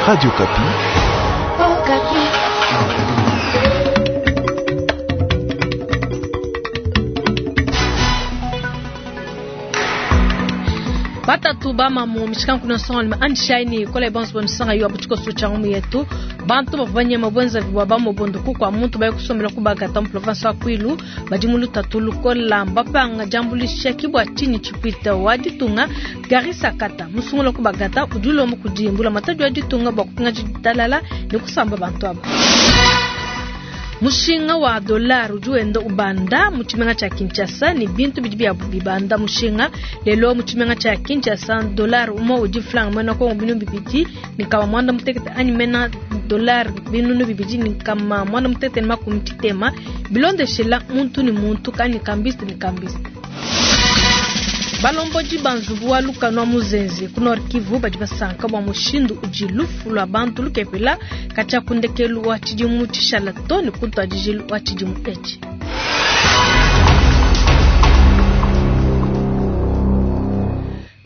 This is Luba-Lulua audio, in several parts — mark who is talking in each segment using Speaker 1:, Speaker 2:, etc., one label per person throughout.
Speaker 1: Radio Okapi.
Speaker 2: Okapi.
Speaker 3: Batatu bamamu mishikanku nsongalume andishayi kola bonso bonisanga yo abutshikoso tshia ngumu yetu. Bantu bavua banyema bwenzavi bua bamobondo ku kua muntu baye kusombela ku Bagata mu province wa Kwilu badi mu lutatu lukola mbapanga diambuluisha ki bua tshinyi tshipuita wa ditunga Gary Sakata musungula ku Bagata udi ulomba kudi mbulamatadi wa ditunga bua kupingaja ditalala ne kusamba bantu aba. Mushinga wa dollar udi wenda ubanda mu tshimenga tshia Kinshasa ne bintu bidi bia bibanda mushinga. Lelo mu tshimenga tshia Kinshasa dollar umue udi franc muena Kongo 2860 anyi mena dollar 2660 bilondeshela muntu ne muntu kanyi kambiste ne kambiste. Balombodi ba nzubu wa lukanu wa Muzenze ku Nord Kivu badi basanka bua mushindu udi lufu lua bantu lukepela katshia ku ndekelu wa tshidimu tshishala to ne ku ntuadijilu wa tshidimu etshi.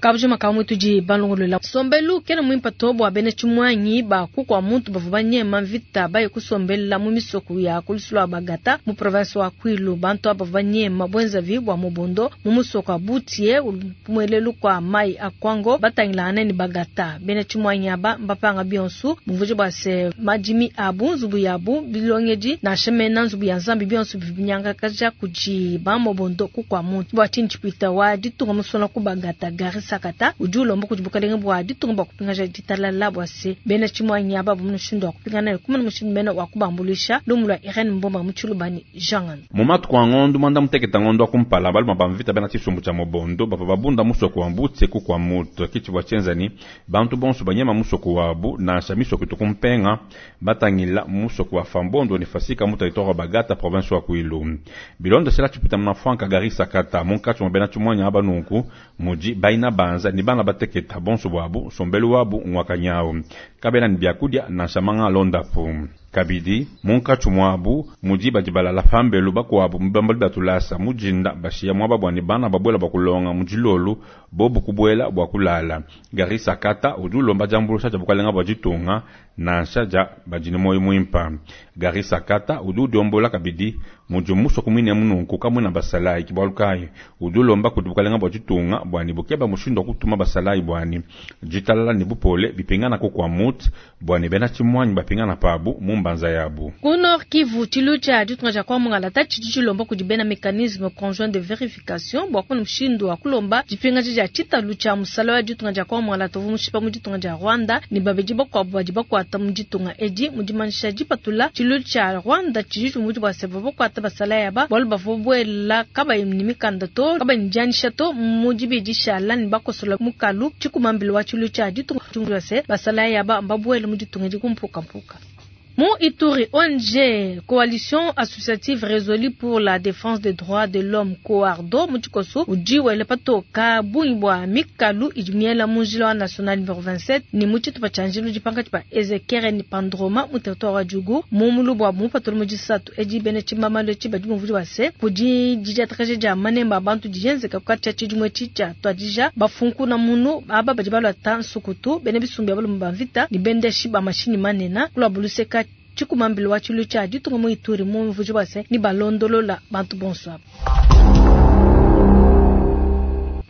Speaker 3: Kabujima ka mwe tudi balongolola nsombelu kena muimpe to bua bena tshimuangi ba ku kua muntu bavua banyema mvita baye kusombela mu misoko ya ku lusu lua Bagata mu province wa Kwilu. Bantu aba bavua banyema buenzavi bua mobondo mu musoko wa Butie muelelu kua mai a Kwango batangilangane ne Bagata. Bena tshimuangi aba mbapanga bionso bumvuije bua se madimi abu, nzubu yabu, bilongedi nansha mena nzubu ya Nzambi bionso bivua binyangakaja kudi ba mobondo ku kua muntu. Bua tshinyi tshipuita wa ditunga musona ku Bagata Gary Sakata udi ulomba kudi bukalenge bua ditunga bua kupingaja ditalala bua se bena tshimuangi aba mu mushindu wa kupingana ne kumona mushindu mene wa kubambuluisha. Lumu lua Irene Mbomba mu Tshiluba ne Jean Ngando.
Speaker 4: Mu matuku a ngondo muanda mutekete ngondo wa kumpala, balume ba mvita bena tshisumbu tshia mobondo bavua babunda musoko wa Mbutse ku kua Mutu. Ke tshivua tshienza ne bantu bonso banyema musoko wabu, nansha misoko itu kumpenga, batangila musoko wa Fambondo ne Fasika mu territoire wa Bagata, province wa Kwilu. Bilondeshela tshipita muna Frank Gary Sakata, munkatshi mua bena tshimuanyi aba nunku mudi baina banza ne bana bateketa bonso buabu, nsombelu wabu ngwakanyawu, kabena ne biakudia nansha manga alondapu. Kabidi munkatshi muabu mudi badi balala pambelu, bakuabu mu bibambalu bia tulasa mu dinda bashiya muaba bua ne bana babuela bua kulonga mu dilolu, bobu kubuela bua kulala. Gary Sakata udi ulomba diambuluisha dia bukalenga bua ditunga nansha dia badi ne muoyo muimpe. Gary Sakata udi udiombola kabidi mudi musoko muine mununku kamuena basalayi, ke bualu kayi udi ulomba kudi bukalenga bua ditunga bua ne bukeba mushindu wa kutuma basalayi bua ne ditalala ne bupole bipingana ku kua Mut bua ne bena tshimuanyi bapingana pabu mu mbanza yabu.
Speaker 3: Ku Nord Kivu, tshilu tshia ditunga dia kwa Mungalata tshidi tshilomba kudi bena mecanisme conjoint de verification bua kumona mushindu wa kulomba dipingaja dia tshitalu tshia musala wa ditunga dia kwa Mungalata uvua mushipa mu ditunga dia Rwanda ne babedi bakuabu badi bakuata mu ditunga edi. Mu dimanyisha dipatula tshilu tshia Rwanda tshidi tshiumvuija bua se bavua bakuata basalayi aba bualu bavua buela kabayi ne mikanda to, kabayi ne dianyisha to mu dibidi shala ne bakosola mukalu tshikumambila wa tshilu tshia ditunga tshiumvuija se basalayi aba mbabuele mu ditunga edi ku mpukampuka. Mu Ituri, ONG Coalition Associative Résolue pour la Défense des Droits de l'Homme Coardo mu tshikoso udi wela patoka bungi bua mikalu idi miela mu njila wa national numéro 27 ne mu tshitupa tshia njilu udi pankatshi pa Ezekiel ne Pandroma mu territoire wa Djugu mu mulubu wa mupatula mu disatu edi. Bena tshibambalu etshi badi bumvuija bua se kudi didiatakaja dia manemba a bantu dienzeka katshia tshidimu etshi tshia tuadija bafunkuna munu aba badi baluata nsukutu bena bisumbu bia balume ba mvita ne bendeshi ba mashinyi manene kulua luseka tshikumambilo wa tshilu tshia ditunga mu Ituri mu mvuji bua se ni balondolola bantu bonso aba.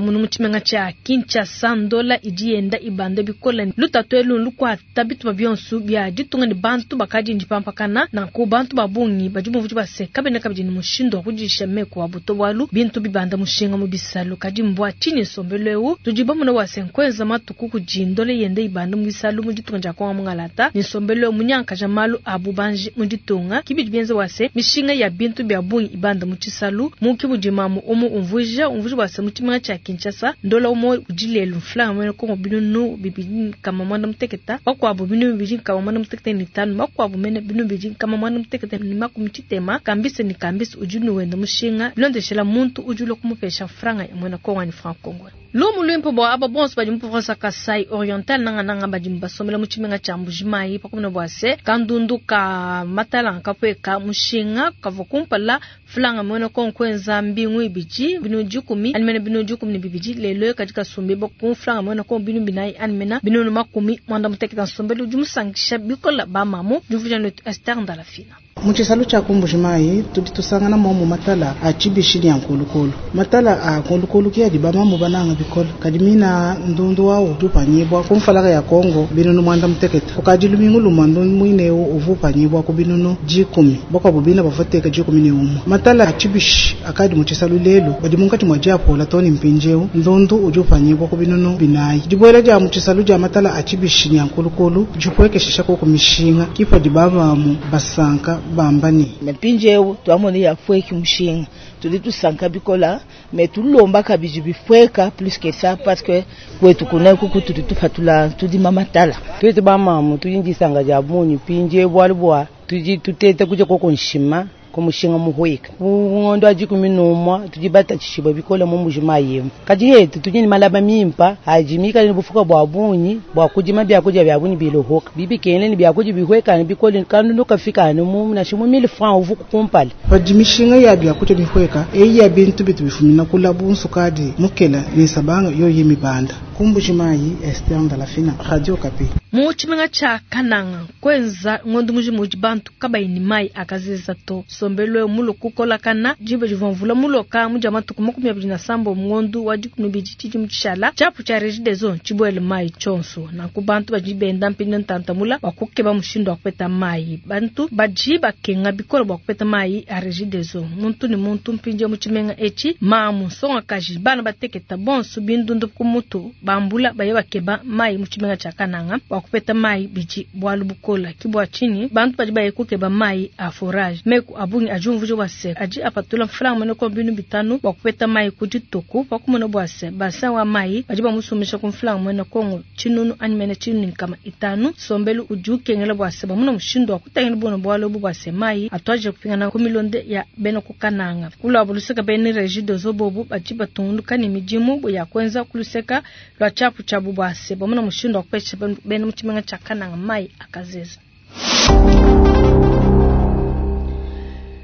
Speaker 3: Munu mu tshimenga tshia Kinshasa ndola idi yenda ibanda bikole lutatu elu lukuata bitupa bionso bia ditunga ne bantu bakadi ndipampakana nanku bantu ba bungi badi bumvuija bua se kabena kabidi ne mushindu wa kudisha meku abu to bualu bintu bibanda mushinga mu bisalu. Kadi mbua tshinyi nsombelu eu tudi bamona bua se nkuenza matuku kudi ndola yenda ibanda mu bisalu mu ditunga dia Kongo Mungalata ne nsombelu eu munyankaja malu a bubanji mu ditunga kibidi bienza bua se mishinga ya bintu bia bungi ibanda mu tshisalu mu kibudi mamu umu umvuija umvuija bua se mu tshimenga tshia Kinshasa ndola umue udi lelu mfranga muena Kongo 2865, bakuabu 2565, bakuabu mene 2660. Kambisa ne kambisa udi nuwenda mushinga bilondeshela muntu udi ulua kumupesha mfranga ya muena Kongo ni franc Congo. Lumu luimpe bua aba bonso badi mu province wa Kasai Oriental, nangananga badi basombela mu tshimenga tshia Mbuji-Mayi, pakumona bua se kandundu ka matala nkapueka mushinga kavua kumpala mfranga muena Kongo kuenza mbingu ibidi 100 anyi mene 12 lelo kadi kasumbibua ku mfranga muena Kongo 400 anyi mene 80. Nsombelu udi musankisha bikola ba mamu diumvuija netu Esther Ndalafina.
Speaker 1: Mu tshisalu tshia ku Mbuji-Mayi tudi tusangana momu matala a tshibishi ne a nkolokolo. Matala a nkolokolo ke adi bamamu bananga bikole, kadi mina ndundu wawu udi upanyibua ku mfalaka ya Kongo 60. Kukadi lumingu lumue ndundu muine eu uvua upanyibua ku 10, bakuabu bina bavua bateka 11. Matala a tshibishi akadi mu tshisalu lelu badi munkatshi mua diapola too ne mpindieu ndundu udi upanyibua ku 400. Dibuela dia mu tshisalu dia matala a tshibishi ne a nkolokolo dipuekeshisha koku mishinga ke padi bamamu basanka bamba ne,
Speaker 5: Mpindieu tuamona yapueki mushinga, tudi tusanka bikola mais tulomba kabidi bipueka plus que ça parce que kwetu kuneku kutudi tupatula tudima matala.
Speaker 6: Twetu bamamu tudi ndisanga dia bungi mpindieu bualu bua tudi tuteta kudia koko nshima ku mushinga muhueka. Ku ngondo wa 11 tudi batatshishibua bikole mu Mbuji-Mayi emu. Kadi yetu tudi ne malaba mimpa adi mikale ne bufuka bua bungi bua kudima biakudia bia bungi bilohoka bibikene ne biakudia bihuekane bikole kandundu kafikane mu nansha mu 1000 francs uvu kumpala.
Speaker 1: Padi mishinga ya biakudia bihueka eyi ya bintu bitu bifumina kula bunsukadi mukela ne sabanga yoyi mibanda. Ku Mbuji-Mayi, Esther Ndalafina, Radio Okapi.
Speaker 3: Mu tshimenga tshia Kananga kuenza ngondo mujima udi bantu kabayi ne mayi akazeza to. Nsombelu mulu kukolakana diba divua mvula muloka mu dia matuku 27 ngondo wa 12 tshidimu tshishala tshiapu tshia Regideso tshibuele mayi tshionso. Nanku bantu badi benda mpinda ntantamula bua kukeba mushindu wa kupeta mayi. Bantu badi bakenga bikole bua kupeta mayi a Regideso. Muntu ne muntu mpindieu mu tshimenga etshi mamu nsongakaji bana bateketa bonso bindundu ku mutu bambula baye bakeba mayi mu tshimenga tshia Kananga bua kupeta mayi bidi bualu bukola. Ke bua tshinyi bantu badi baye kukeba mayi a forage. Meku a bungi adi umvuija bua se adi apatula mfranga muena ko 500 bua kupeta mayi ku dituku pakumona bua se bassin wa mayi badi bamusumbisha ku mfranga muena Kongo 1000 anyi mene 1500. Nsombelu udi ukengela bua se bamuna mushindu wa kutangila buno bualu ebu bua se mayi atuadije kupingana ku milonde ya bena ku Kananga. Kuluabu luseka bena Regideso bobu badi batungunuka ne midimu ya kuenza ku luseka lua tshiapu tshiabu bua se bamuna mushindu wa kupesha bena mu tshimenga tshia Kananga mayi akazeza.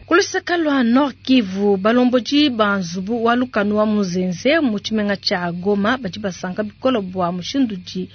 Speaker 3: Kuluseka lua Nord Kivu, balombodi ba nzubu wa lukanu wa Muzenze mu tshimenga tshia Goma badi basanka bikole bua mushindu udi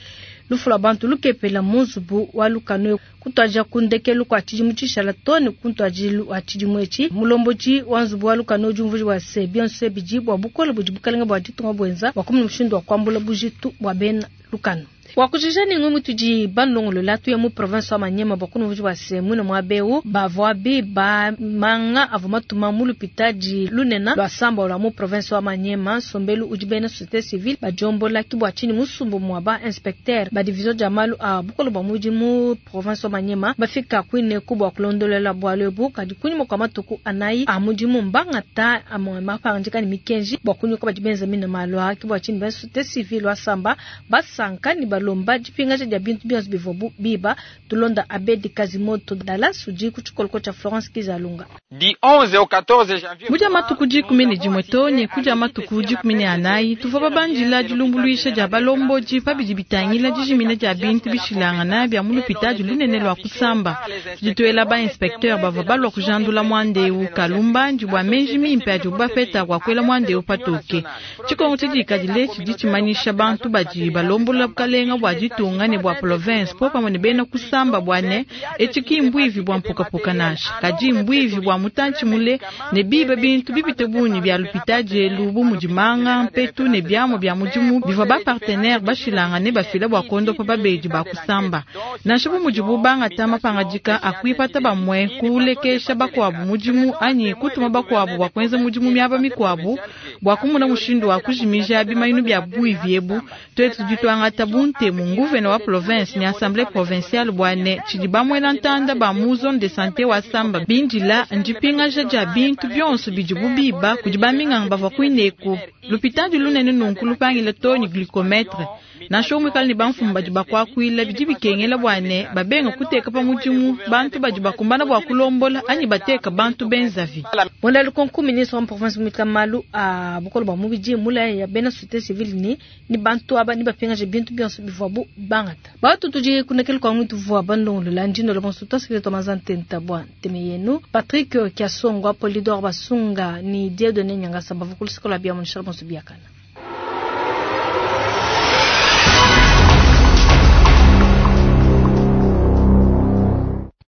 Speaker 3: lufu lua bantu lukepela mu nzubu wa lukanu kutuadija ku ndekelu kua tshidimu tshishala too ne ku ntuadijilu wa tshidimu etshi. Mulombodi wa nzubu wa lukanu udi umvuija bua se bionso bidi bua bukole budi bukalenga bua ditunga buenza bua kumona mushindu wa kuambula bujitu bua bena lukanu. Wakujija ne ngombe tudi balongolola tuya mu province wa Maniema bua kunumvuija bua se mwine muaba eu bavua biba manga avua matuma mu lupitadi lunene lua Samba lua mu province wa Maniema. Nsombelu udi bena société civile badiombola ke bua tshinyi musumbu muaba inspecteur ba division dia malu a bukole bua mudimu province wa Maniema bafika kuineku bua kulondolola bualu ebu. Kadi kunyima kua matuku anayi a mudimu mbangata amue mapangadika ne mikenji bua kunyoka badi benza mine malu aa. Ke bua tshinyi bena société civile wa Samba basanka ne balomba dipingaja dia bintu bionso bivua biba. Tulonda Abedi Kazimoto Dallas udi ku tshikoloko tshia Florence Kizalunga.
Speaker 7: Du 11 au 14 janvier.
Speaker 8: Mudia matuku 11 too ne kudia matuku 14 tuvua babandila dilumbuluisha dia balombodi pabidi bitangila dijimina dia bintu bishilangana bia mu lupitadi lunene lua kusamba. Tudi tuela ba inspecteur bavua balua kujandula muandeu kalumbandi bua menji mimpe adi bapeta bua kuela muandeu patoke. Tshikongo tshidikadile tshidi tshimanyisha bantu badi balombola bukalenga bua ditunga ne bua province po pamue ne bena kusamba bua ne etshi mbuivi bua mpukapuka nansha kadi mbuivi bua mutantshi mule ne biba bintu bipite bungi bia lupitadi elu bu mudi manga mpetu ne biamua bia mudimu bivua ba partenaire bashilangane bafila bua kondopa babedi ba kusamba. Nansha bu mudibu bangata mapangadika a kuipata bamue kulekesha bakuabu mudimu anyi kutuma bakuabu bua kuenza mudimu miaba mikuabu bua kumona mushindu wa kujimija bimanyinu bia buivi ebu. Twetu tudi tuangata buntemu nguvena wa province ne assemblée provinciale bua ne tshidi bamuela ntanda ba mu zone de santé wa Samba bindila ndipingaja dia bintu bionso bidibu biba kudi baminganga bavua kuineku. Lupitadi lunene nunku lupangila too ne glycomètre. Nansha muikale ne bamfumu badi bakuakuila, bidi bikengela bua ne babenga kuteka pa mudimu bantu badi bakumbana bua kulombola anyi bateka bantu benzavi.
Speaker 3: Mwenda lukonku ministre wa province mwita malu a bukole bua mubidi mulaya ya bena société civile ni ni bantu aba ni bapingaje bintu bionso bivuabu bangata. Batu tudi kunekele kwa mwitu vua bandongolola ndino lo bonso tasile to mazantenta bua nteme yenu Patrick Kiasongwa Polidor Basunga ni Dieudonné Nyangasa bavukulu sikola bia munishala bonso biakana.